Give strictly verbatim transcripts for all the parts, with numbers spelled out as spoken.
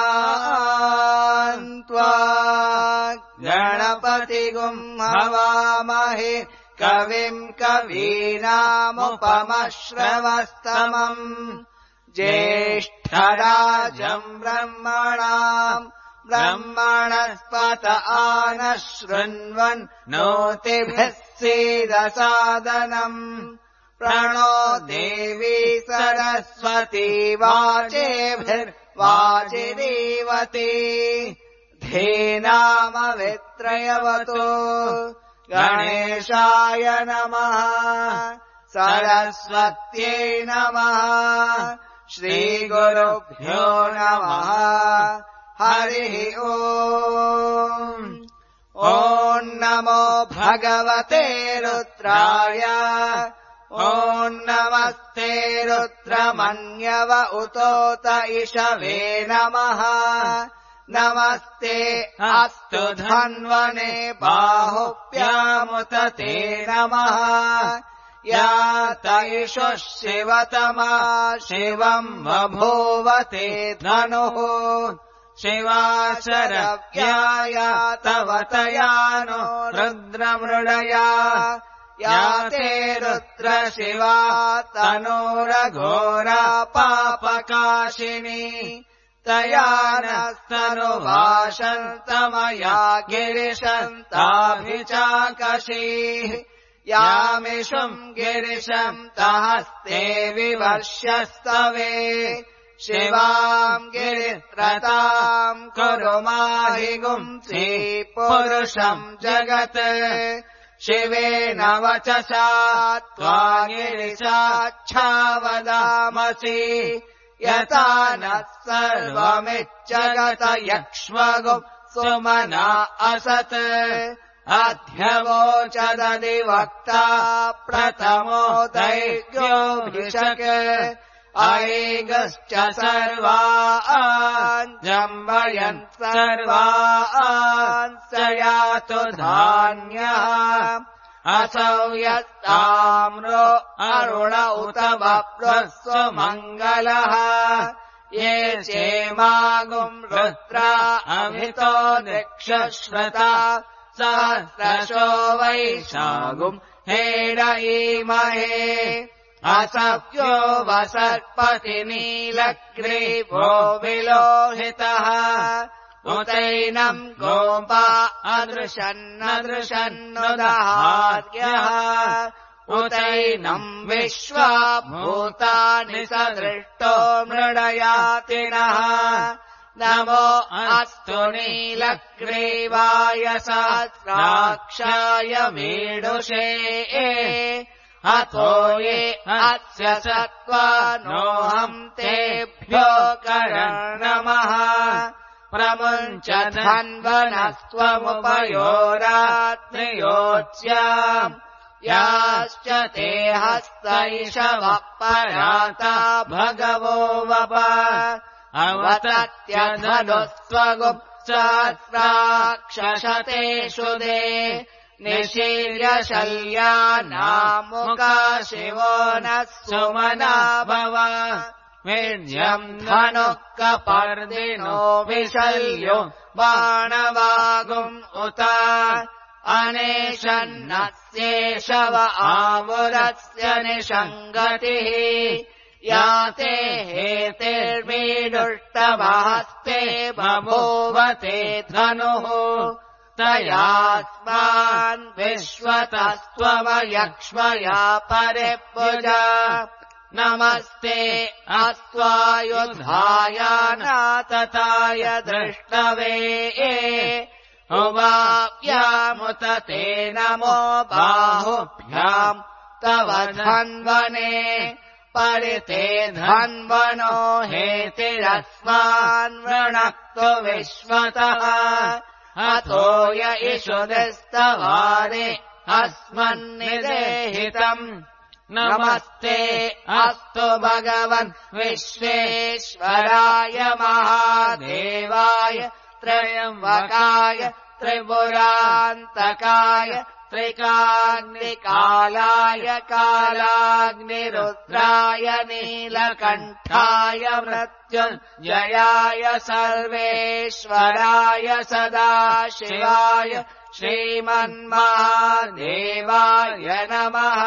गणानाम् त्वा गणपतिगुम् हवामहे कविम् कवीनामुपमश्रवस्तमम् ज्येष्ठराजम् ब्रह्मणाम् ब्रह्मणस्पत आनः शृण्वन् नोतिभिः सीदसादनम् प्रणो देवी सरस्वती वाचेभिर्वाचिरीवती धीनामवित्रयवतु गणेशाय नमः सरस्वत्यै नमः श्रीगुरुभ्यो नमः हरिः ओम् ॐ नमो भगवते रुद्राय ॐ नमस्ते रुद्रमन्यव उतोत इषवे नमः नमस्ते अस्तु धन्वने बाहुभ्यामुत ते नमः या तैषुः शिवतमा शिवम् बभूवते धनुः शिवाशरव्याय तव तया नो रुद्रमृडया या ते रुद्र शिवा तनोरघोरा पापकाशिनी तया नस्तनुभाषन्तमया गिरिशन्ताभिचाकशीः यामिषुम् गिरिशम् तहस्ते विवर्ष्यस्तवे शिवाम् गिरित्रताम् कुरु माहि गुंसि पुरुषम् जगत् शिवेन वचसा त्वा गिरिशाच्छावदामसि यथा नः सर्वमिज्जगत यक्ष्मगुम् सुमना असत् अध्यवोचदधिवक्ता प्रथमो दैर्घ्योऽभिषक् ऐगश्च सर्वान् जम्बयन् सर्वान् स यातु धान्यः असौ यत्ताम्रो अरुण उत वप्रुः मङ्गलः ये चेमागुम् रुद्रा अभितो नृक्षश्रता सहस्रशो वैशागुम् हेरयीमहे असव्यो वसर्पति नीलग्रीवो विलोहितः उतैनम् गोपा अदृशन्नदृशन्नुदहार्यः उतैनम् विश्वा भूतानि सदृष्टो मृडयातिनः नमो अस्तु नीलग्रीवाय सहस्राक्षाय मीडुषे अतो ये अस्य सत्त्वानोऽहम् तेभ्यो करन्नमः प्रमुञ्च धन्वनस्त्वमुपयोरात्रियोत्स्याम् याश्च ते हस्तैषवः पराता भगवो वप अवतत्यधनुस्त्वगुम् सहस्राक्षशतेषु दे निशीर्य शल्यानामुका शिवो नः सुमना भव वीर्यम् धनुः कपर्दिनो विशल्यो बाणवागुम् उत अनेशन्नस्येषव आमुरस्य निषङ्गतिः या ते हेतिर्मीडुष्टवहस्ते बभूवते धनुः तयास्मान् विश्वतस्त्वमयक्ष्मया परिभुज नमस्ते अस्त्वायुधायानातताय दृष्टवे उवाप्यामुत ते नमो बाहुभ्याम् तव धन्वने परिते धन्वनो हेतिरस्मान् वृणक्तु विश्वतः अतो य इषुदिस्तवारे अस्मन्निदेहितम् नमस्ते अस्तु भगवन् विश्वेश्वराय महादेवाय त्र्यम्बकाय त्रिपुरान्तकाय त्रिकाग्निकालाय कालाग्निरुद्राय नीलकण्ठाय मृत्युञ्जयाय सर्वेश्वराय सदाशिवाय श्रीमन्महादेवाय नमः।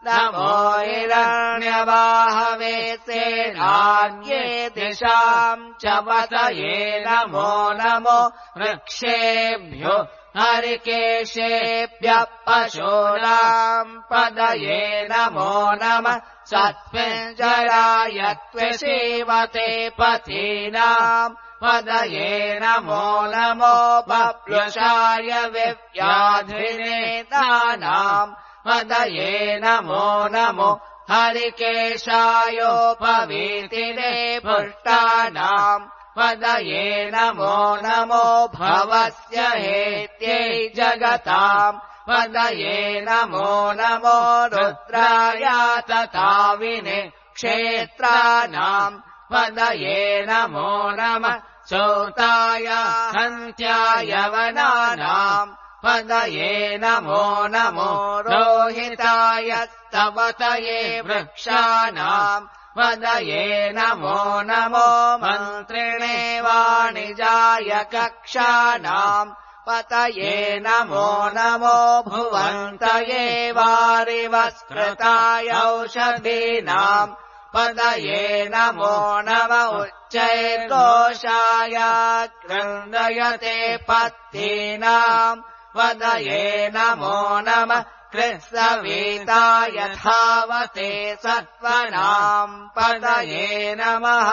नमो हिरण्यवाहवे सेनान्ये दिशाम् च पतये नमो नमो वृक्षेभ्यो हरिकेशेभ्यः पशूनाम् पदये नमो नमः। सत्पिञ्जराय त्वसीवते पतीनाम् पदये नमो नमो। बप्लुषाय विव्याधिनेतानाम् पदये नमो नमो। हरिकेशायोपवीतिने पुष्टानाम् पदये नमो नमो। भवस्य हेत्यै जगताम् पदये नमो नमो। रुद्राय तथाविने क्षेत्राणाम् पदये नमो नमः। चौताय हन्त्याय वनानाम् पदये नमो नमो। रोहिताय स्तवतये वृक्षाणाम् पदये नमो नमो। मन्त्रिणे वाणिजाय कक्षाणाम् पतये नमो नमो। भुवन्तये वारिवस्कृताय औषधीनाम् पदये नमो नमः। उच्चैर्घोषाय क्रन्दयते पत्तीनाम् पदये नमो नमः। कृत्सविताय धावते सत्त्वनाम् पदये नमः।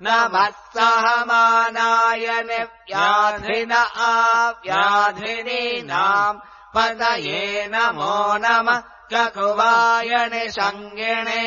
नमः सहमानाय निव्याधिन आव्याधिनीनाम् पदये नमो नमः। ककुवाय निषङ्गिणे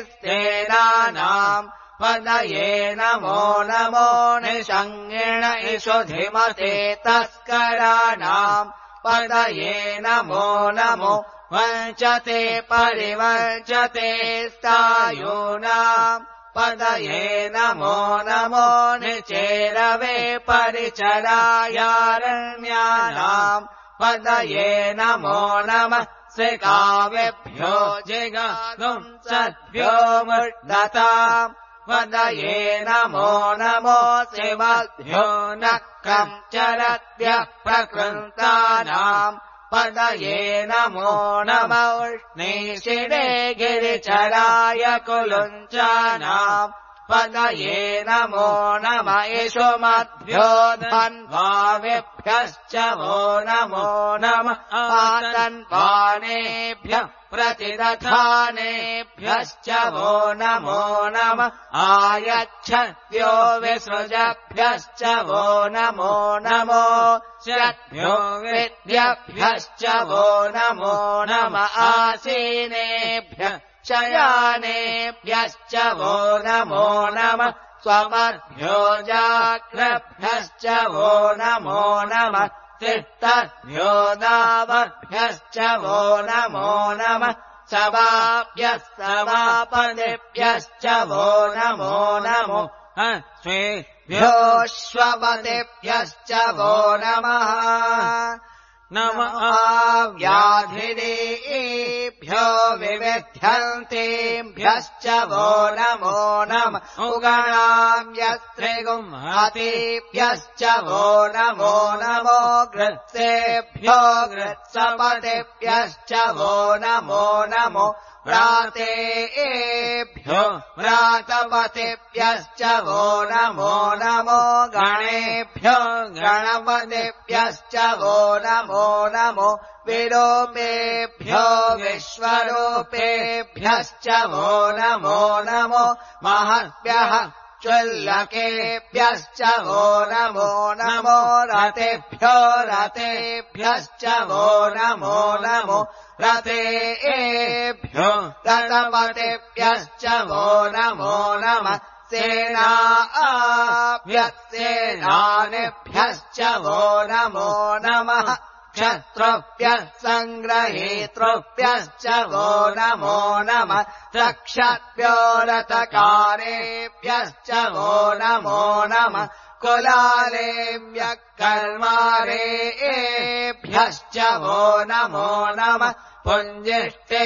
स्तेनानाम् पदये नमो नमो। निषङ्गिण इषुधिमते तस्कराणाम् पदये नमो नमो। वञ्चते परिवञ्चते स्थायूनाम् पदये नमो नमो। निचेरवे परिचरायारण्यानाम् पदये नमो नमः। श्रिकावेभ्यो जिगागुम् सद्भ्यो मुड्डताम् पदये नमो नमो। शिवभ्यो नक्कम् चरद्भ्यः प्रकृन्तानाम् पदये नमो नमः। उष्णीषिणे गिरिचराय कुलुञ्चानाम् पदये नमो नमः। इषुमद्भ्यो धन्वावेभ्यश्च वो नमो नमः। आतन्वानेभ्यः प्रतिदधानेभ्यश्च वो नमो नमः। आयच्छद्भ्यो विसृजभ्यश्च वो नमो नमो। शद्भ्यो विद्यभ्यश्च वो नमो नमः। आसीनेभ्यः शयानेभ्यश्च वो नमो नमः। स्वमद्भ्यो जाग्रभ्यश्च वो नमो नमः। तिष्ठद्भ्यो दावभ्यश्च वो नमो नमः। सवाभ्यः समापदेभ्यश्च वो नमो नमो। श्वेभ्योऽश्वपदेभ्यश्च वो नमः। नमः व्याधिनीभ्यो विविध्यन्तेभ्यश्च वो नमो नमः। उगणाम्यस्त्रिगुंहतेभ्यश्च वो नमो नमो। घृत्सेभ्यो घृत्सपतेभ्यश्च वो नमो नमो। व्रातेभ्यो व्रातपतेभ्यश्च वो नमो नमो। गणेभ्यो गणपतेभ्यश्च वो नमो नमो। विरूपेभ्यो विश्वरूपेभ्यश्च वो नमो नमो। महद्भ्यः चुल्लकेभ्यश्च वो नमो नमो। रतेभ्यो रतेभ्यश्च वो नमो नमो। रतेभ्यो रतपतेभ्यश्च वो नमो नमः। सेनाभ्यस्सेनानिभ्यश्च वो नमो नमः। क्षत्रुभ्यः सङ्ग्रहेतृभ्यश्च वो नमो नमः। रक्षद्भ्यो रथकारेभ्यश्च वो नमो नमः। कुलालेभ्यः कर्मारेभ्यश्च वो नमो नमः पुञ्जिष्टेभ्यो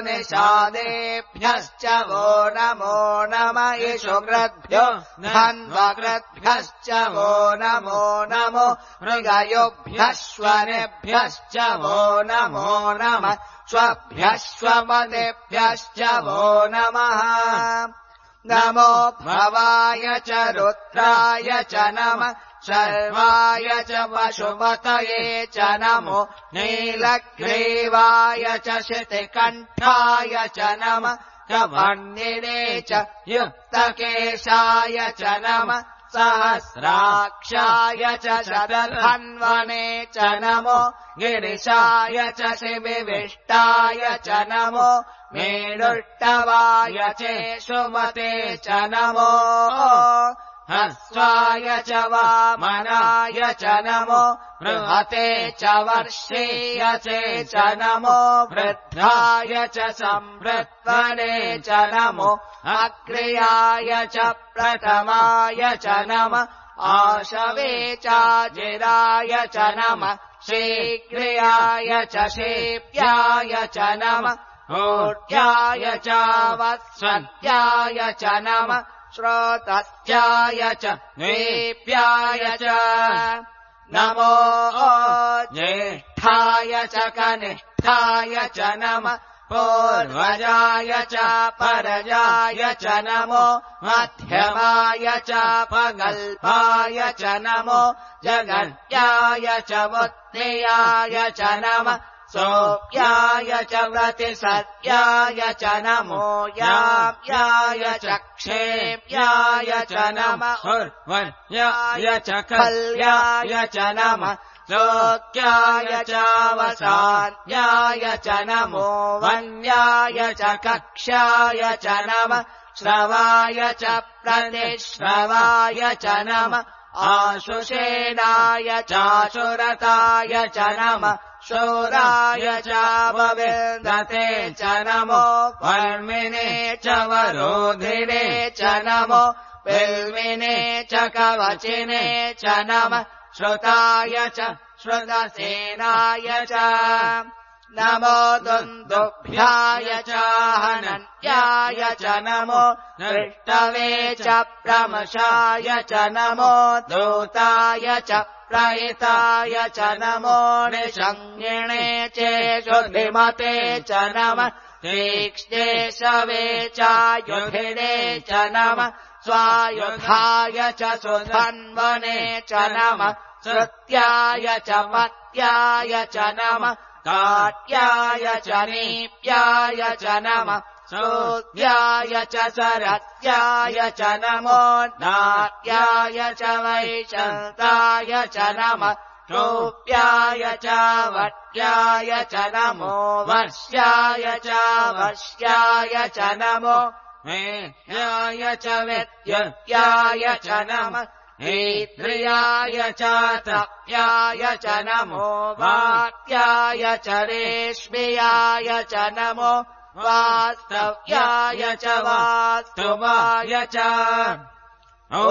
निषादेभ्यश्च वो नमो नमः इषुकृद्भ्यो धन्वकृद्भ्यश्च वो नमो नमो मृगयोभ्यश्वनेभ्यश्च वो नमो नमः स्वभ्यश्वमतेभ्यश्च वो नमः नमो भवाय च रुद्राय च नमः सर्वाय च पशुपतये च नमो नीलग्रीवाय च शितिकण्ठाय च नमः कमण्डिने च युक्तकेशाय च नमः सहस्राक्षाय च शतधन्वने च नमो गिरिशाय च शिविविष्टाय च नमो मेरुष्टवाय चेषुमते च नमो हस्वाय च वामनाय च नमो बृहते च वर्षीय च नमो वृद्धाय च संवृत्वने च नमो अक्रियाय च प्रथमाय च नमः आशवे चाजिराय च नमः शीघ्रियाय च शेप्याय च नमः ऊर्ध्याय च वत्सत्याय च नमः श्रोतस्याय च द्वीप्याय च नमो ज्येष्ठाय च कनिष्ठाय च नमः पूर्वजाय च परजाय च नमो मध्यमाय च पगल्पाय च नमो जगत्याय च बुद्धियाय च नमः सोऽप्याय च प्रतिसत्याय च नमो याप्याय च क्षेप्याय च नमः उर्वर्याय च कल्याय च नमः लोक्याय चावसान्याय च नमो वन्याय च कक्ष्याय च नमः श्रवाय च प्रतिश्रवाय च नमः आशुषेणाय चाशुरताय च नमः शूराय चावविन्दते च नमो वर्मिने च वरोधिने च नमो बिल्विने च कवचिने च नमः श्रुताय च श्रुतसेनाय च नमो दुन्दुभ्याय च हनन्याय च नमो दृष्टवे च प्रमशाय च नमो दूताय च प्रहिताय च नमो निषङ्गिणे चेषुधिमते च नमः तीक्ष्णे शवे चायुधिने च नमः स्वायुधाय च सुधन्वने च नमः श्रुत्याय च पत्याय च नमः काट्याय च नीप्याय च नमः सूद्याय च सरस्याय च नमो नाट्याय च वैशन्ताय च नमः रूप्याय च वट्याय च नमो वर्ष्याय च वश्याय च नमो वेद्याय च विद्युत्याय च नमः ऐन्द्रियाय च तप्याय च नमो वात्याय च रेश्म्याय च नमो वास्तव्याय च वास्तुवाय च ॐ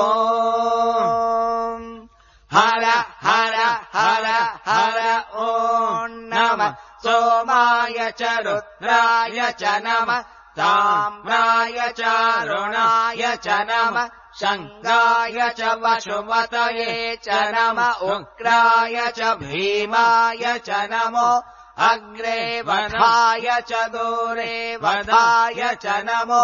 हर हर हर हर ॐ नमः सोमाय च रुद्राय च नमः ताम्राय च रुणाय च नमः शङ्गाय च वसुमतये च नमः उग्राय च भीमाय च नमो अग्रे वधाय च दूरे वधाय च नमो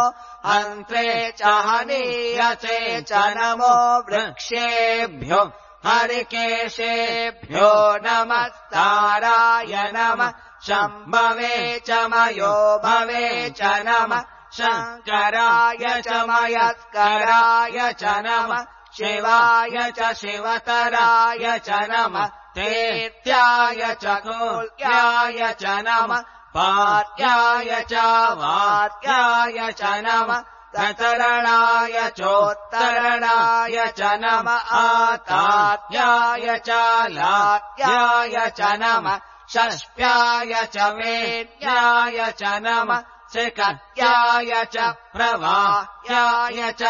अन्त्रे च हनीयसे च नमो वृक्षेभ्यो हरिकेशेभ्यो नमस्ताराय नमः शम्भवे च मयो भवे च नमः शङ्कराय च मयस्कराय च नमः शिवाय च शिवतराय च नमः तेत्याय च कोल्याय च नमः पार्याय च वार्याय च नमः ततरणाय चोत्तरणाय च नमः आतात्याय च लात्याय च नमः षष्प्याय च वेद्याय च नमः श्रिकत्याय च प्रवाह्याय च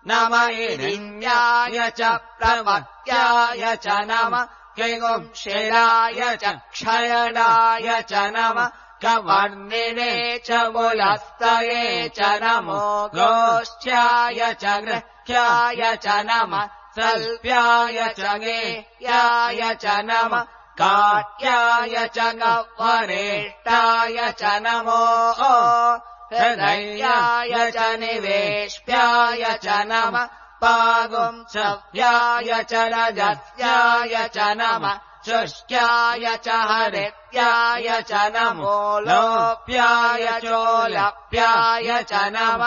नम इरिण्याय च प्रमत्याय च नम किगुंशिराय च क्षयणाय च नम कवर्णिने च मुलस्तये च नमो गोष्ठ्याय च गृह्याय च नम सल्प्याय च गेह्याय च नम काट्याय च गह्वरेष्टाय च नमो हृदयाय च निवेश्याय च नम पागुंसव्याय च रजस्याय च नम शुष्क्याय च हरित्याय च नमो लोप्याय चोलप्याय च नम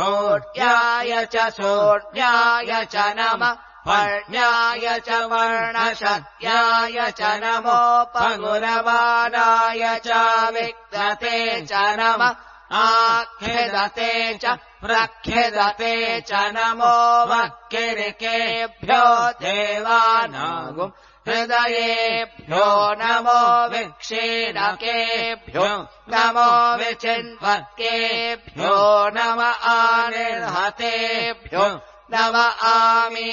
ऊर्ध्याय च सोढ्याय च नम वर्ण्याय च वर्णशत्याय च नमो पगुरवाणाय च विक्तते च नम आख्यदते च प्रख्यदते च नमो वक्किरिकेभ्यो देवानागुम् हृदयेभ्यो नमो विक्षीणकेभ्यो नमो विचिन्वक्केभ्यो नम आनिर्हतेभ्यो नम आमीवक्केभ्यः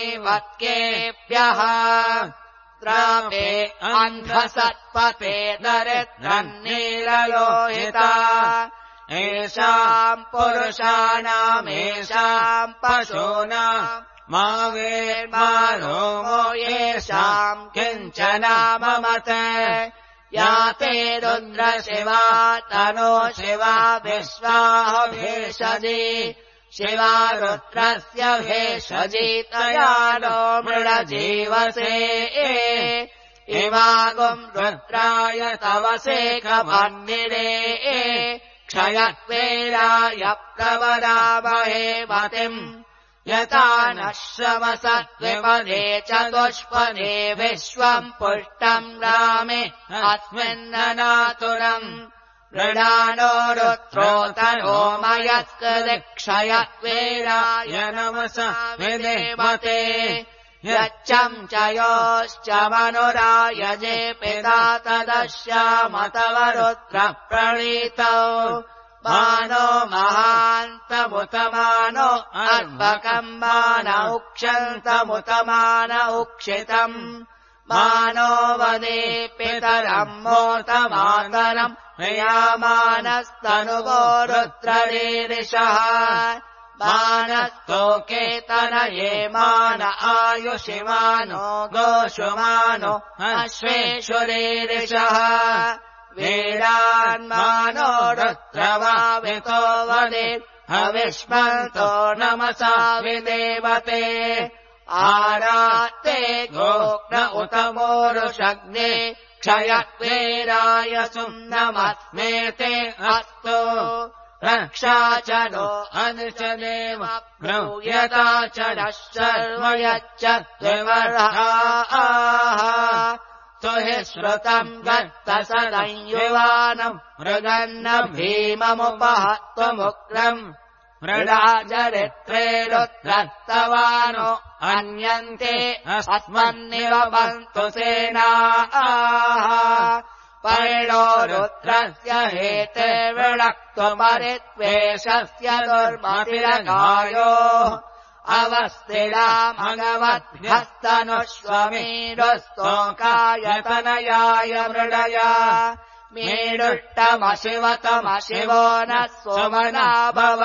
द्रापे अन्धसत्पते दरिद्रन्नीललोहिता येषाम् पुरुषाणामेषाम् पशूनाम् मा वेर्मारोमो येषाम् किञ्चनाममत याते रुद्रशिवा तनो शिवा विश्वाह भेषजी शिवा रुद्रस्य भेषजी तया नो मृडजीवसे इमागुम् रुद्राय तवसे कमन्निरे क्षयत्वेराय प्रवरामहे मतिम् यथा नः श्रवसत्विपदे चतुष्पदे विश्वम् पुष्टम् रामे अस्मिन्ननातुरम् मृडानो रुद्रोतनो मयस्कृदिक्षयत्वेराय नमस विदेवते यच्चम् च योश्च मनुरायजे पिता तदश्यामतव रुद्र प्रणीतौ मानो महान्तमुतमानो अर्भकम् मान उक्षन्तमुतमान उक्षितम् मानो वदे पितरम् मोतमातरम् प्रियामानस्तनुवो रुद्ररीरिषः मानस्तोकेतनये मान आयुषिमानो गोषुमानो अश्वेषुरीरिषः वीरान्मानो रुद्रवावितो वदेत् हविष्मन्तो नमसा विदेवते आरात्ते गोग्न उत मोरुषग्ने क्षयत्वेराय सुम्नमस्मेते अस्तु रक्षा च नो अनुचनेव ब्रूयता च नः शर्म यच्च द्विवर्हाः हि श्रुतम् गत्तसदंयुवानम् मृगन्न भीममुपहत्वमुग्रम् मृडाचरित्रे रुद्रस्तवानो अन्यन्ते अस्मन्निवपन्तु सेनाः परिणो रुद्रस्य हेते विणक्तुमरित्वेषस्य दुर्मतिरगायोः अवस्थिरामगवद्भ्यस्तनुष्वमीरुस्तोकायतनयाय मृडया मीडुष्टमशिवतमशिवो नः सोमना भव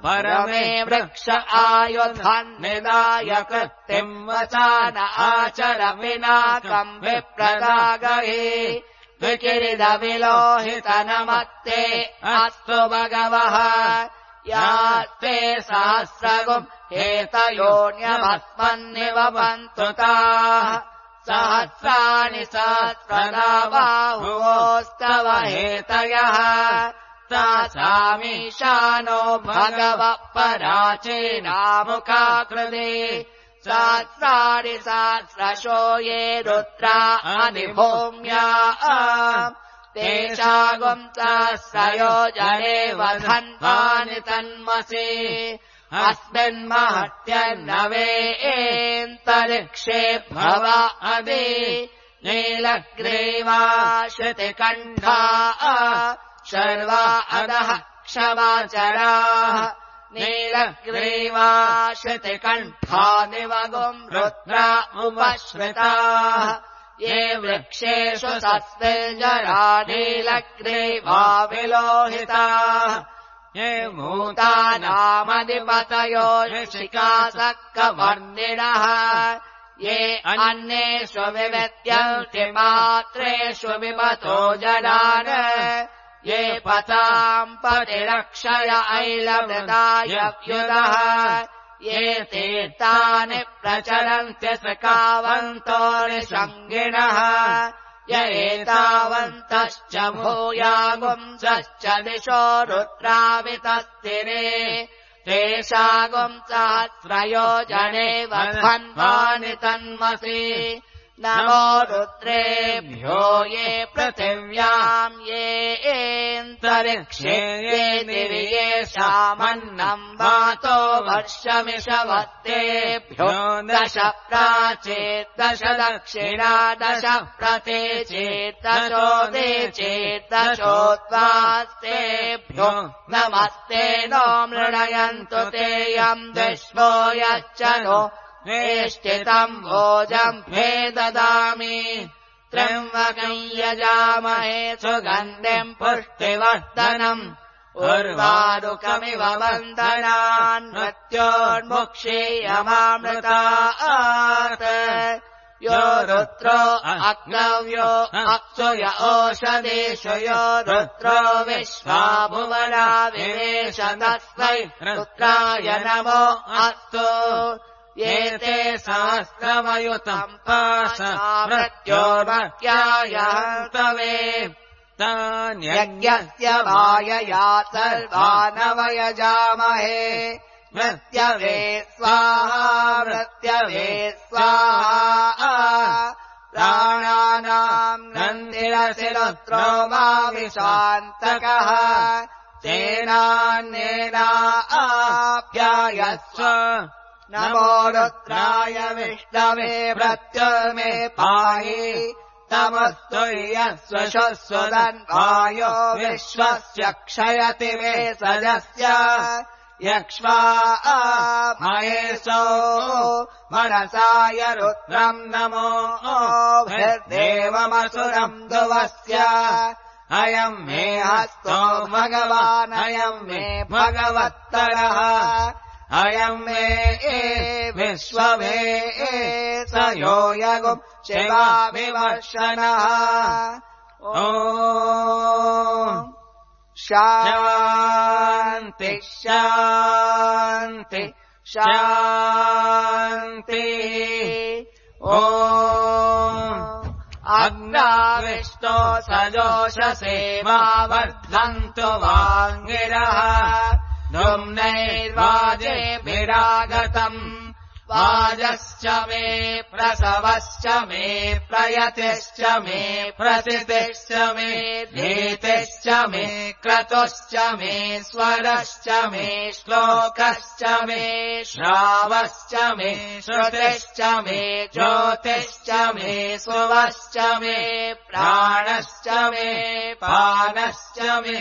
परमे वृक्ष आयुधान्निदाय कृत्तिम् वचान आचर विनाकम् विप्रदागहि विकिरिदविलोहितनमत्ते अस्तु भगवः यास्ते सहस्रगुम् हेतयोन्यमस्मन्निवपन्तु ताः सहस्राणि सहस्रदा बाहुवोस्तव हेतयः तासामीशानो भगवः पराचीनामुखाकृते सहस्राणि सहस्रशो ये रुद्रा अधिभूम्या तेषागुम् सहस्रयोजने वधन्वानि तन्मसि अस्मिन्महत्यन्नवेन्तरिक्षे भव अदि नीलग्रीवा श्रुतिकण्ठा शर्वा अधः क्षमाचराः नीलग्रीवा श्रुतिकण्ठादिवगुम् रुद्रा उपश्रिताः ये वृक्षेषु सस्तिर्जरा नीलग्रीवा विलोहिताः ये भूतानामधिपतयो ऋषिकासक्कवर्णिनः ये अन्येषु विविद्यन्ति पात्रेषु विमतो जनान् ये पताम् पतिरक्षय ऐलमृतायव्युदः ये तीर्थानि प्रचलन्ति सकावन्तो निषङ्गिणः य एतावन्तश्च भूयागुंसश्च दिशो रुद्रावितस्तिरे तेषागुम् सहस्रयोजने वध्वन्वानि तन्मसि नमो रुद्रेभ्यो ये पृथिव्याम् ये एन्तरिक्षे ये दिवि येषामन्नम् वातो वर्षमिषवत्तेभ्यो दश प्राचेत् दश दक्षिणा दश प्रतीचेत् दशोदे चेत् दशोद्वास्तेभ्यो नमस्ते नो मृणयन्तु ते यम् विश्वो यच्च नो वेष्टितम् भोजम् भे ददामि त्र्यम्बकम् यजामहे सुगन्धिम् पुष्टिवर्धनम् उर्वारुकमिव बन्धनान् मृत्योर्मुक्षीयमामृतात् यो रुद्रो अग्नव्यो अक्षुय ओषधेषु यो रुद्रो विश्वा भुवना विवेश तस्मै रुद्राय नमो अस्तु ये ते सहस्रमयुतम् पाश मृत्योर्मर्त्याय हन्तवे तान्यज्ञस्य मायया सर्वानवयजामहे मृत्यवे स्वाहा मृत्यवे स्वाहा प्राणानाम् नन्दिरसि रुद्रो मा विशान्तकः तेनान्येना आप्यायस्व नमो रुद्राय विष्णवे मृत्युर्मे पाहि तमस्तु यस्व शस्वदन्वायो विश्वस्य क्षयति मे सजस्य यक्ष्वा महेशो मनसाय रुद्रम् नमो भिर्देवमसुरम् ध्रुवस्य अयम् मे हस्तो भगवान् अयम् मे भगवत्तरः अयम् मे विश्वमे स यो यगुम् शिवाभिवर्षणः ॐ शान्ति शान्ति शान्तिः ॐ अग्नाविष्टो सजोषसे मा वर्धन्तु वाङ्गिरः धुम्नैर्वाजेभिरागतम् वाजश्च मे प्रसवश्च मे प्रयतिश्च मे प्रसितिश्च मे धीतिश्च मे क्रतुश्च मे स्वरश्च मे श्लोकश्च मे श्रावश्च मे श्रुतिश्च मे ज्योतिश्च मे सुवश्च मे प्राणश्च मे पानश्च मे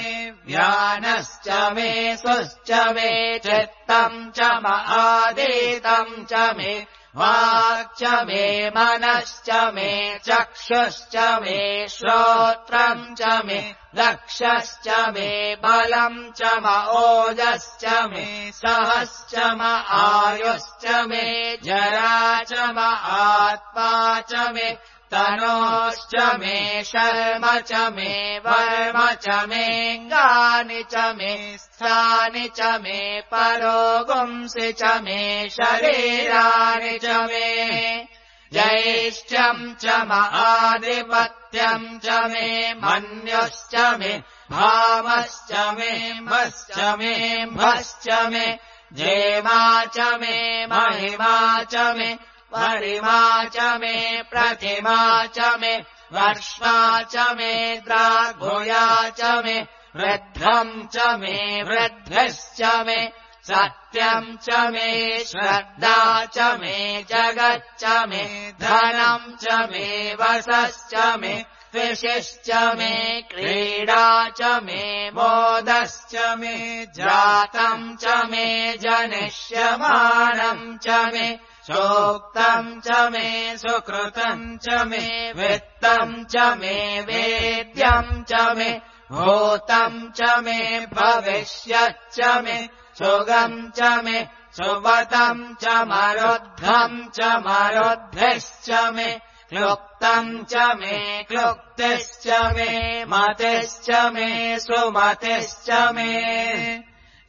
व्यानश्च मे सुश्च मे चित्तम् च महादीतम् च मे वाक् च मे मनश्च मे चक्षुश्च मे श्रोत्रम् च मे लक्षश्च मे बलम् च म ओजश्च मे सहश्च म आयुश्च मे जरा च म आत्मा च मे तनोश्च मे शर्म च मे वर्म च मेऽङ्गानि च मे स्थानि च मे परोगुंसि च मे शरीराणि च मे ज्यैष्ठ्यम् च महाधिपत्यम् च मे मन्युश्च मे भामश्च मे भश्च मे भश्च मे जेमा च मे महिमा च मे वरिमा च मे प्रतिमा च मे वर्ष्मा च मे द्राघुया च मे वृद्धम् च मे वृद्धिश्च मे सत्यम् च मे श्रद्धा च मे जगच्च मे धनम् च मे वसश्च मे त्विषिश्च मे क्रीडा च मे मोदश्च मे जातम् च मे जनिष्यमाणम् च मे चोक्तम् च मे सुकृतम् च मे वित्तम् च मे वेद्यम् च मे भूतम् च मे भविष्यच्च मे सुगम् च मे सुवतम् च मरुद्धम् च मरुद्भिश्च मे क्लुप्तम् च मे क्लुप्तिश्च मे मतिश्च मे सुमतिश्च मे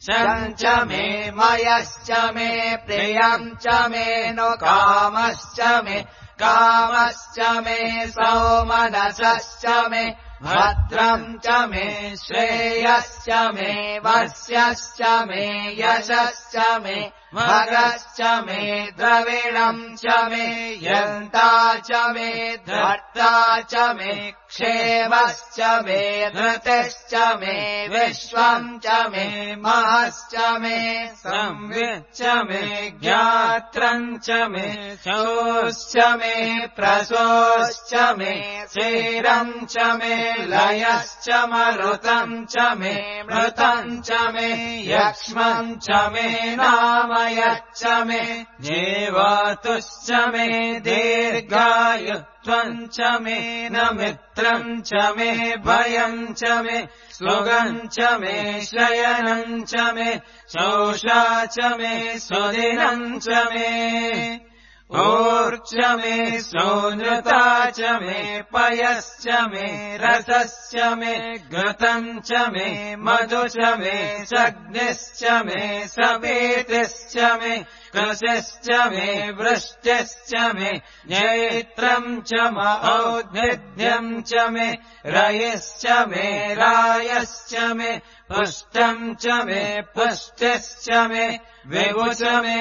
शम् च मे मयश्च मे प्रियम् च मे नु कामश्च मे कामश्च मे सौमनसश्च मे भद्रम् च मे श्रेयश्च मे वस्यश्च मे यशश्च मे भगश्च मे द्रविणम् च मे यन्ता च मे धर्ता च मे क्षेमश्च मे धृतिश्च मे विश्वम् च मे महश्च मे संविच्च मे ज्ञात्रम् च मे शोश्च मे प्रसोश्च मे क्षीरम् च मे लयश्च मरुतम् च मे मृतम् च मे यक्ष्मम् च मे नामयच्च मे जीवतुश्च मे दीर्घायुत्वम् च मे न मित्रम् च मे भयम् च मे सुगम् च मे शयनम् च मे शोषा च मे सुदिनम् च मे ऊर्च मे सोनृता च मे पयश्च मे रसश्च मे घृतम् च मे मधु च मे सग्निश्च मे सपेतिश्च मे कृशिश्च मे वृष्टिश्च मे जैत्रम् च मौद्भिद्यम् च मे रयिश्च मे रायश्च मे पुष्टम् च मे पुष्टिश्च मे विभु च मे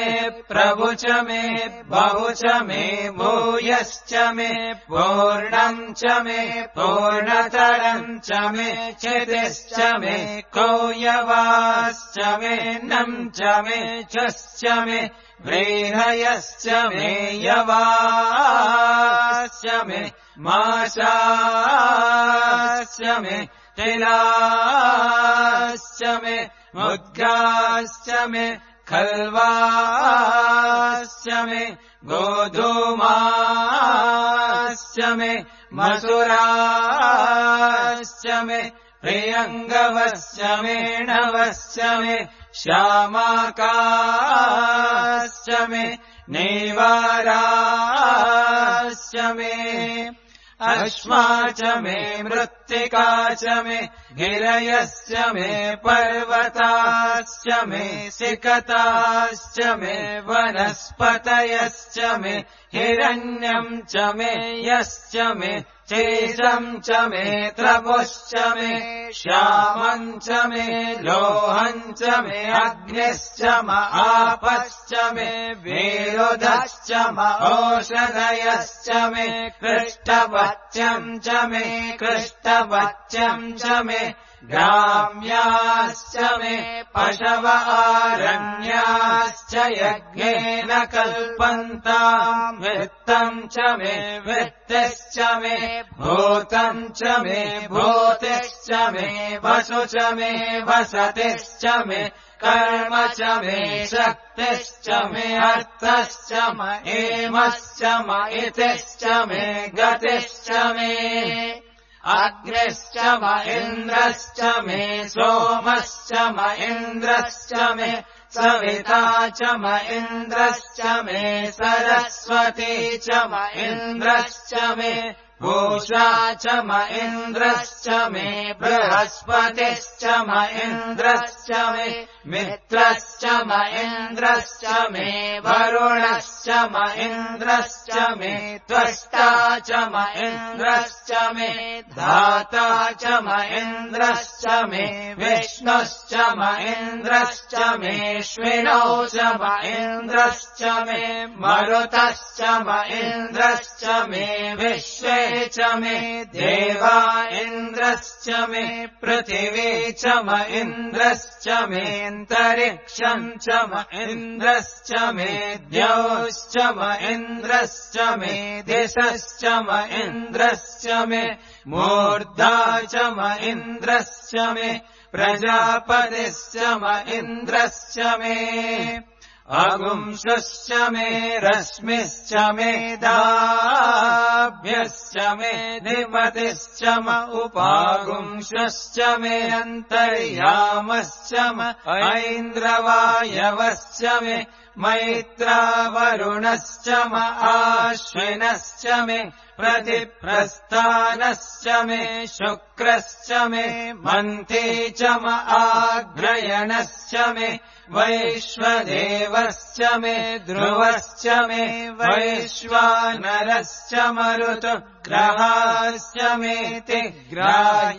प्रभु च मे बहु च मे भूयश्च मे पूर्णम् च मे पूर्णतरम् च मे क्षितिश्च मे कौयवाश्च मे नम् च मे चश्च मे व्रीहयश्च मे यवाश्च मे माशाश्च मे तिलाश्च मे मुद्गाश्च मे खल्वाश्च मे गोधूमाश्च मे मसुराश्च मे प्रियङ्गवश्च मे नवश्च मे श्यामाकाश्च मे नेवाराश्च मे अश्मा च मे मृत्तिका च मे गिरयश्च मे पर्वताश्च मे सिकताश्च मे वनस्पतयश्च मे हिरण्यम् च मे यश्च मे चेशम् च मे त्रपुश्च मे श्यामम् च मे लोहम् च मे अग्निश्च म आपश्च मे विरुधश्च म ओषधयश्च मे कृष्टवच्यम् च मे कृष्टवच्यम् च मे ग्राम्याश्च मे पशव आरण्याश्च यज्ञेन कल्पन्ताम् वित्तम् च मे वित्तिश्च मे भूतम् च मे भूतिश्च मे वसु च मे वसतिश्च मे कर्म च मे शक्तिश्च मे अर्थश्च म एमश्च म इतिश्च मे गतिश्च मे अग्निश्च म इन्द्रश्च मे सोमश्च म इन्द्रश्च मे सविता च म इन्द्रश्च मे सरस्वती च म इन्द्रश्च मे पूषा च म इन्द्रश्च मे बृहस्पतिश्च म इन्द्रश्च मे मित्रश्च म इन्द्रश्च मे वरुणश्च म इन्द्रश्च मे त्वष्टा च म इन्द्रश्च मे धाता च म इन्द्रश्च मे विष्णुश्च म इन्द्रश्च मे श्विनौ च म इन्द्रश्च मे मरुतश्च म इन्द्रश्च मे विश्वे च मे देवा इन्द्रश्च मे पृथिवी च म इन्द्रश्च मेऽन्तरिक्षम् च म इन्द्रश्च मे द्यौश्च म इन्द्रश्च मे दिशश्च म इन्द्रश्च मे मूर्धा च म इन्द्रश्च मे प्रजापतिश्च म इन्द्रश्च मे अगुंशश्च मे रश्मिश्च मे दाभ्यश्च मे निपतिश्च म उपागुंशश्च मे अन्तर्यामश्च म ऐन्द्रवायवश्च मे मैत्रावरुणश्च म आश्विनश्च मे प्रतिप्रस्थानश्च मे शुक्रश्च मे मन्थी च म आग्रयणश्च मे वैश्वदेवश्च मे ध्रुवश्च मे वैश्वानरश्च मरुतग्रहाश्च मेति ग्राह्याश्च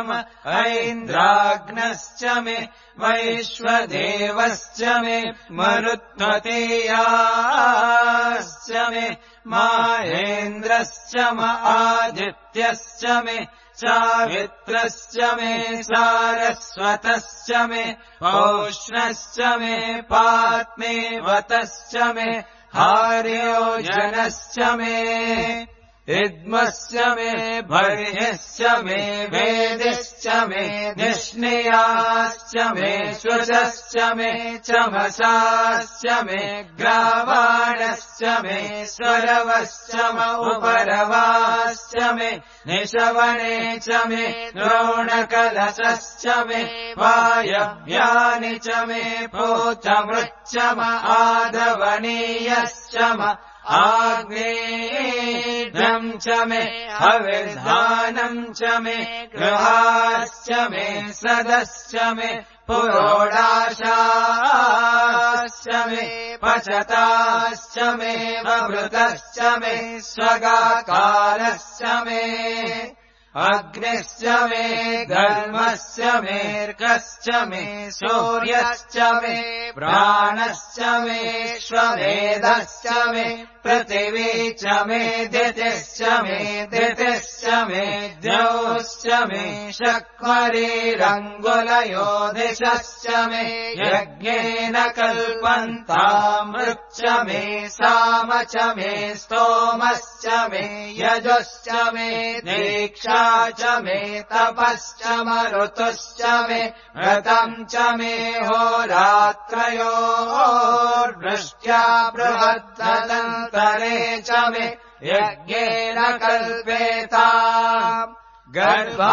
म ऐन्द्राग्नश्च मे वैश्वदेवश्च मे मरुत्वतीयाश्च मे माहेन्द्रश्च म आदित्यश्च मे चावित्रश्च मे सारस्वतश्च मे पौष्णश्च मे पात्मेवतश्च मे हार्योजनश्च मे इद्मश्च मे भर्ह्यश्च मे वेदिश्च मे निष्णियाश्च मे शुचश्च मे चमसाश्च मे ग्रावाणश्च मे स्वरवश्च म उपरवाश्च मे निशवने च मे द्रोणकलशश्च मे वायव्यानि च मे पूतमृच्च म आधवनीयश्च म आग्नेयम् च मे हविर्धानम् च मे गृहाश्च मे सदश्च मे पुरोडाशाश्च मे पचताश्च मे ववृतश्च मे स्वगाकारश्च मे अग्निश्च मे धर्मश्च मेऽर्कश्च मे सूर्यश्च मे प्राणश्च मे श्वमेधश्च मे पृथिवी च मे दितिश्च मे दितिश्च मे द्यौश्च मे शक्वरीरङ्गुलयो दिशश्च मे यज्ञेन कल्पन्तामृच्च मे साम च मे स्तोमश्च मे यजुश्च मे दीक्षा च मे तपश्च मरुतुश्च मे व्रतम् च मे होरात्रयोर्वृष्ट्या बृहद्दन्तरे च मे यज्ञेन कल्पेताम् गर्भाश्च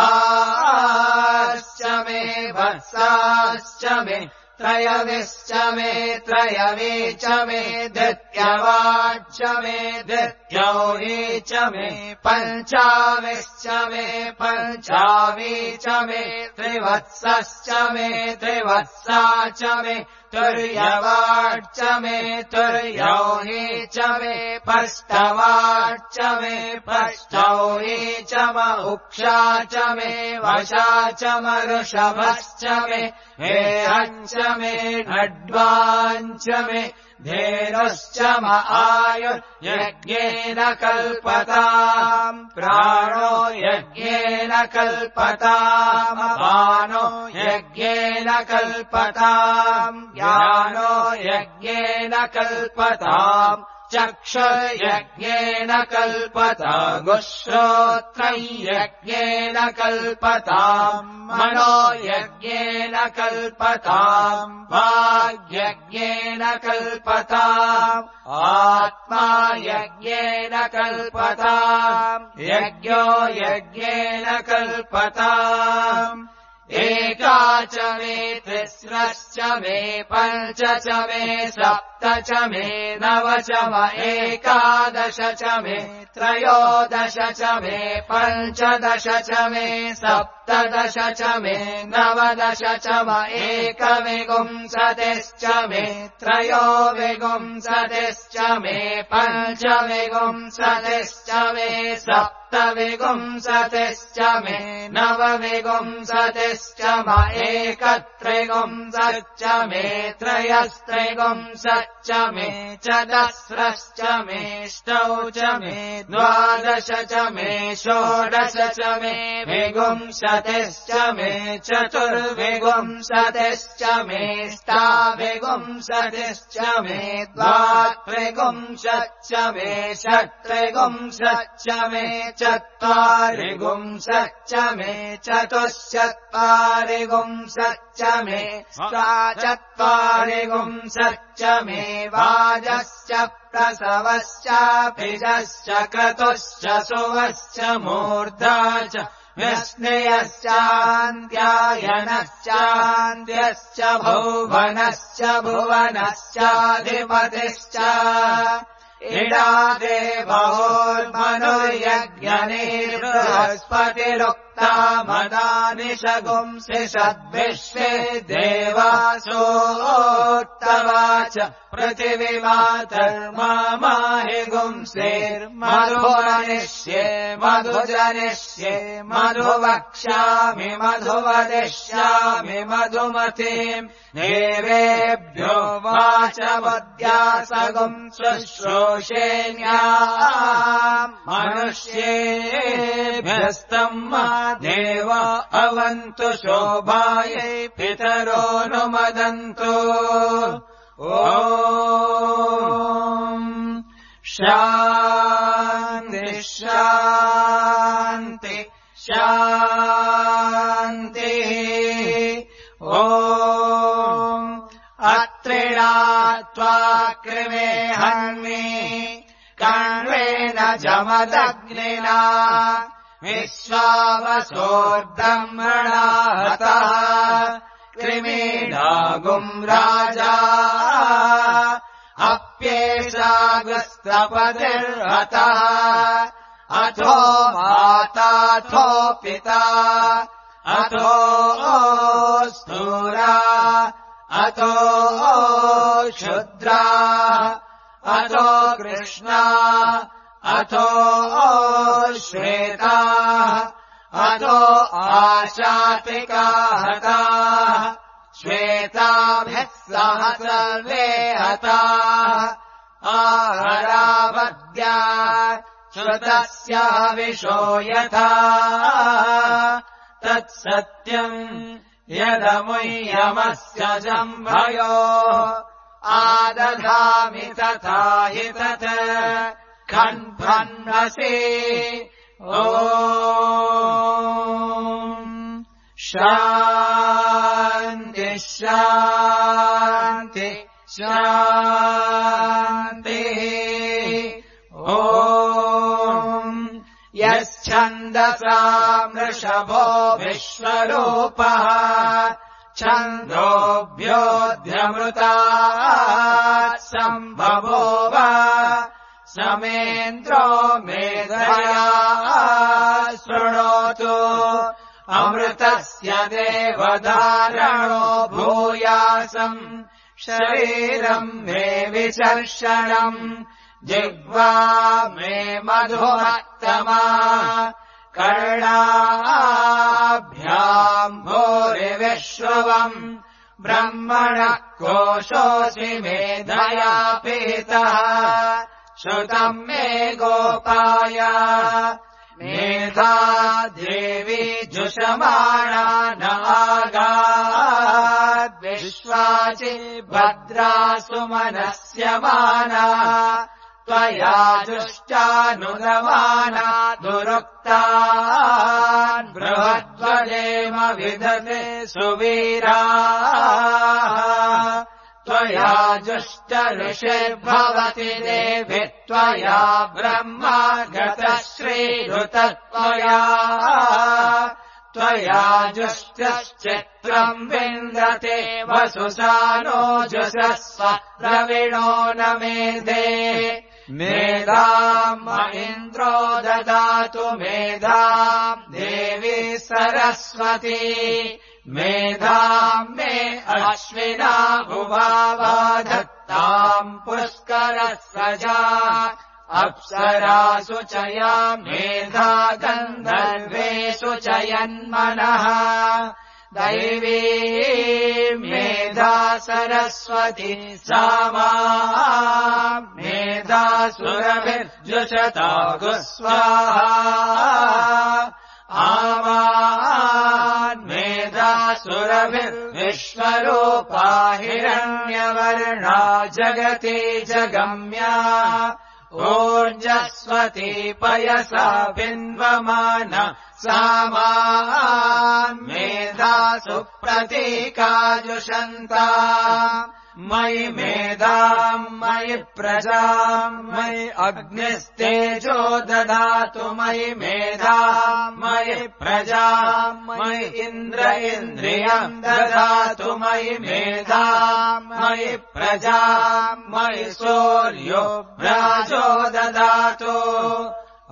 मे वत्साश्च मे त्रयविश्च मे त्रयवी च मे दित्यवाच्च मे दित्यौरी च मे पञ्चाविश्च मे पञ्चावी च मे त्रिवत्सश्च मे त्रिवत्सा च मे तुर्यवाच्च मे तुर्यौरी च मे पष्टवाच्च मे पष्टौरी च म उक्षा च मे वशा च मरुषभश्च मे हेहञ्च मे ढड्वाञ्च मे धेनुश्च म आयुर्यज्ञेन कल्पताम् प्राणो यज्ञेन कल्पताम् अपानो यज्ञेन कल्पताम् ज्ञानो यज्ञेन कल्पताम् चक्षुर्यज्ञेन कल्पताम् श्रोत्रयज्ञेन कल्पताम् मनो यज्ञेन कल्पताम् वाग्यज्ञेन कल्पताम् आत्मा यज्ञेन कल्पताम् यज्ञो यज्ञेन कल्पताम् एका च मे तिस्रश्च मे पञ्च च मे सप्त च मे नव च म एकादश च मे त्रयोदश च मे पञ्चदश च मे सप्तदश च मे नवदश च म एकविंशतिश्च मे त्रयोविंशतिश्च मे पञ्चविंशतिश्च मे सप्तविंशतिश्च मे नवविंशतिश्च म एकत्रिंशच्च मे त्रयस्त्रिंशच्च च मे चतस्रश्च मेष्टौ च मे द्वादश च मे षोडश च मे विगुंशतिश्च मे चतुर्विगुंशतिश्च मेष्टाविगुंशतिश्च मे द्वात्रिगुंशच्च मे षट्त्रिगुंशच्च मे चत्वारिगुंशच्च मे चतुश्चत्वारिगुंशच्च मे चत्वारिगुंशच्च मे वाजश्च प्रसवश्चाभिजश्च क्रतुश्च सुवश्च मूर्धा च व्यस्नेयश्चान्त्यायनश्चान्त्यश्च भुवनश्च भुवनश्चाधिपतिश्च इडादेवोर्मनुर्यज्ञनिर्बृहस्पतिरुक्ता मदानि शगुंसि सद्विश्वे देवासोत्तवाच पृथिवीमातर्माहि गुंसेर्मधुवनिष्ये मधुजनिष्ये मधुवक्ष्यामि मधुवदिष्यामि मधुमतीम् देवेभ्यो वाचवद्यासगुम् शुश्रूषेण्याम् मनुष्येभ्यस्तम् देव अवन्तु शोभायै पितरोऽनुमदन्तु ॐ शान्ति शान्ति शान्तिः ॐ अत्रिणात्वा कृमे हन्मि कण्वेन जमदग्निना विश्वावसोर्ब्रह्मणा हतः कृमीडागुम् राजा अप्येषागस्तपतिर्हतः अथो माताथो पिता अथो स्थूरा अथो क्षुद्रा अथो कृष्णा अथो श्वेता अथो आशातिका हताः श्वेताभिः सह सर्वे हताः आहरावद्या श्रुतस्य हविषो यथा तत्सत्यम् यदमुह्यमस्य जम्भयोः आदधामि तथा हि तत् खण्भन्वसि ॐ शान्ति शान्ति शान्तिः ॐ यच्छन्दसा वृषभो विश्वरूपः छन्दोभ्योऽध्यमृतात् सम्भवोव समेन्द्रो मेधया शृणोतु अमृतस्य देवधारणो भूयासम् शरीरम् मे विचर्षणम् जिह्वा मे मधुमत्तमा कर्णाभ्याम् भूरिविश्रुवम् ब्रह्मणः कोशोऽसि मेधया पीतः श्रुतम् मे गोपाय मेधा देवी जुषमाणा नागाद्विश्वाचि भद्रा सुमनस्यमाना त्वया जुष्टानुगमाना दुरुक्तान् बृहद्वदेम विदते सुवीराः त्वया जुष्ट ऋषिर्भवति देवि त्वया ब्रह्मा गतः श्रीरुतत्वया त्वया जुष्टश्चित्रम् विन्दते वसुसानो जुषस्व द्रविणो न मेधे मेधाम् इन्द्रो ददातु मेधाम् देवी सरस्वती मेधाम् मे अश्विना भुवावा धत्ताम् पुष्करः सजा अप्सरासु चया मेधा गन्धर्वेषु च यन्मनः दैवी मेधा सरस्वती सामा मेधा सुरभिर्जुषता गुस्वाहा आवान् मेधा सुरभिर्विश्वरूपा हिरण्यवर्णा जगति जगम्या ऊर्जस्वती पयसा बिन्वमान सामान् मेधा सुप्रतीकाजुषन्ता मयि मेधाम् मयि प्रजाम् मयि अग्निस्तेजो ददातु मयि मेधाम् मयि प्रजाम् मयि इन्द्र इन्द्रियम् ददातु मयि मेधाम् मयि प्रजाम् मयि सूर्यो राजो ददातु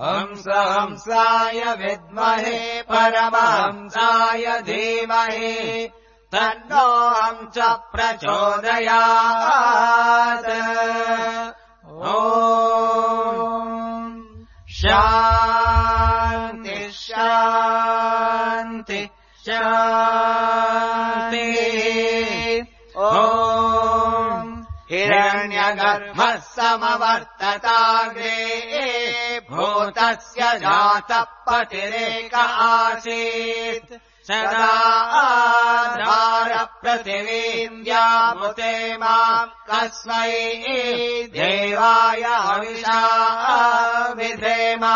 हंस हंसाय विद्महे परमहंसाय धीमहि तन्नो हंस प्रचोदयात् ॐ शान्ति शान्ति शान्तिः ॐ हिरण्यगर्भः समवर्तताग्रे भूतस्य जातः पतिरेक आसीत् सदा आधार पृथिवीम् व्यामुते माम् कस्मै देवाय हविषा विधेमा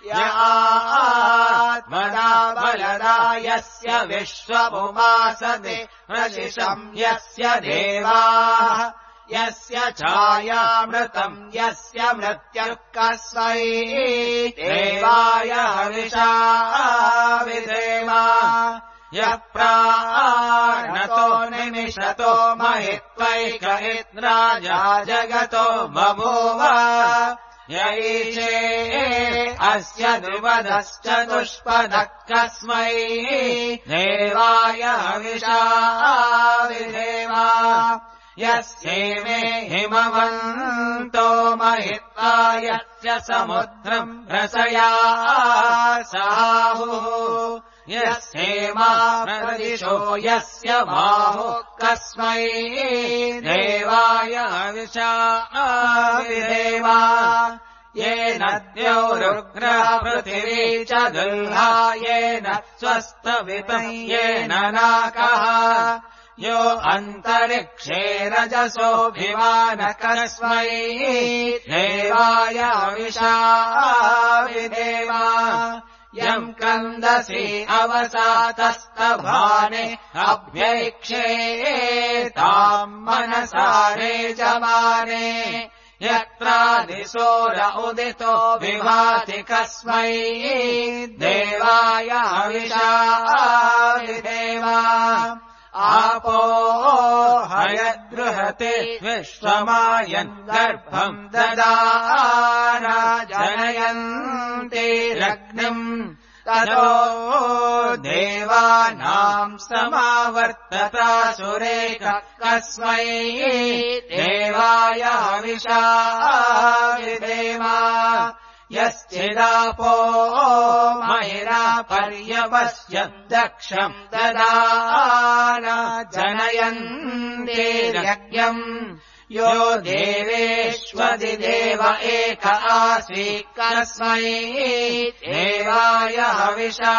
य आत्मना बलदा यस्य विश्वमुपासते प्रशिशम् यस्य देवाः यस्य छायामृतम् यस्य मृत्युः कस्मै देवाय हविषा विधेमा यः प्राणतो निमिषतो महित्वैक इन्द्राजा जगतो बभूव य ईशे अस्य द्विपदश्चतुष्पदः कस्मै देवाय हविषा विधेमा यस्येमे हिमवन्तो महित्वा यस्य समुद्रम् रसया साहुः यस्येमा प्रदिशो यस्य बाहुः कस्मै देवाय हविषा विधेमा येन द्यौरुग्रः पृथिवी च दुल्हा येन स्वस्तवितम् येन नाकः यो अन्तरिक्षे रजसोऽभिमान कस्मै देवाय हविषा विधेमा यम् कन्दसि अवसातस्तभाने अभ्यैक्षे ताम् मनसारे जमाने यत्रादिशोर उदितो विभाति कस्मै देवाय हविषा विधेमा आपो हयद्रुहते विश्वमायन् गर्भम् ददाना जनयन्तिरग्निम् ततो देवानाम् समावर्तता सुरेख कस्मै देवाय हविषा विधेमा यश्चिदापो महिरा पर्यवस्यम् दक्षम् ददाना जनयन्तिर्यज्ञम् यो देवेष्वदिदेव एक आसीत् कस्मै देवाय हविषा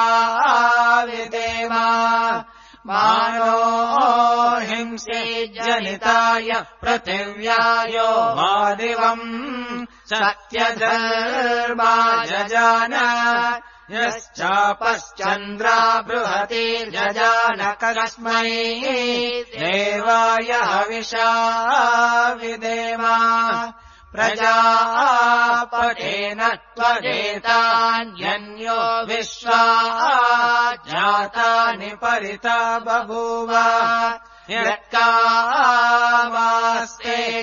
विधेमा मानो हिंसे जनिताय पृथिव्यायो मादिवम् सत्यधर्मा जजान यश्चापश्चन्द्रा बृहति जजान कस्मै देवाय हविषा विधेमा प्रजापतेन त्वजेतान्यन्यो विश्वा जातानि परिता बभूव यत्कामास्ते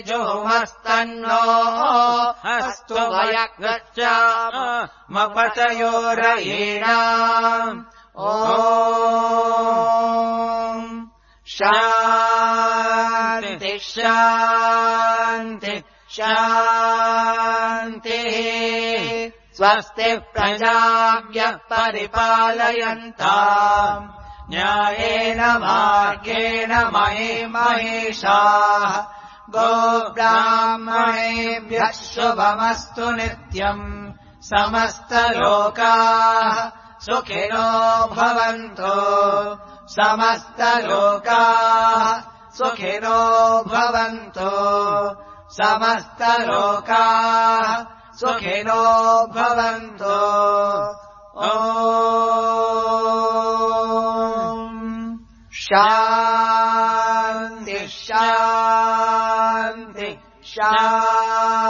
जोमस्तन्नो अस्तु वयगच्छामपतयोरयीणाम् ॐ शान्ति शान्ति शान्तिः स्वस्ति प्रजाभ्यः परिपालयन्ताम् न्यायेन मार्गेण मयि महिषाः गोब्राह्मणेभ्यः शुभमस्तु नित्यम् समस्तलोकाः सुखिनो भवन्तु समस्तलोकाः सुखिनो भवन्तु समस्तलोकाः सुखिनो भवन्तु ॐ शान्ति शान्ति शान्तिः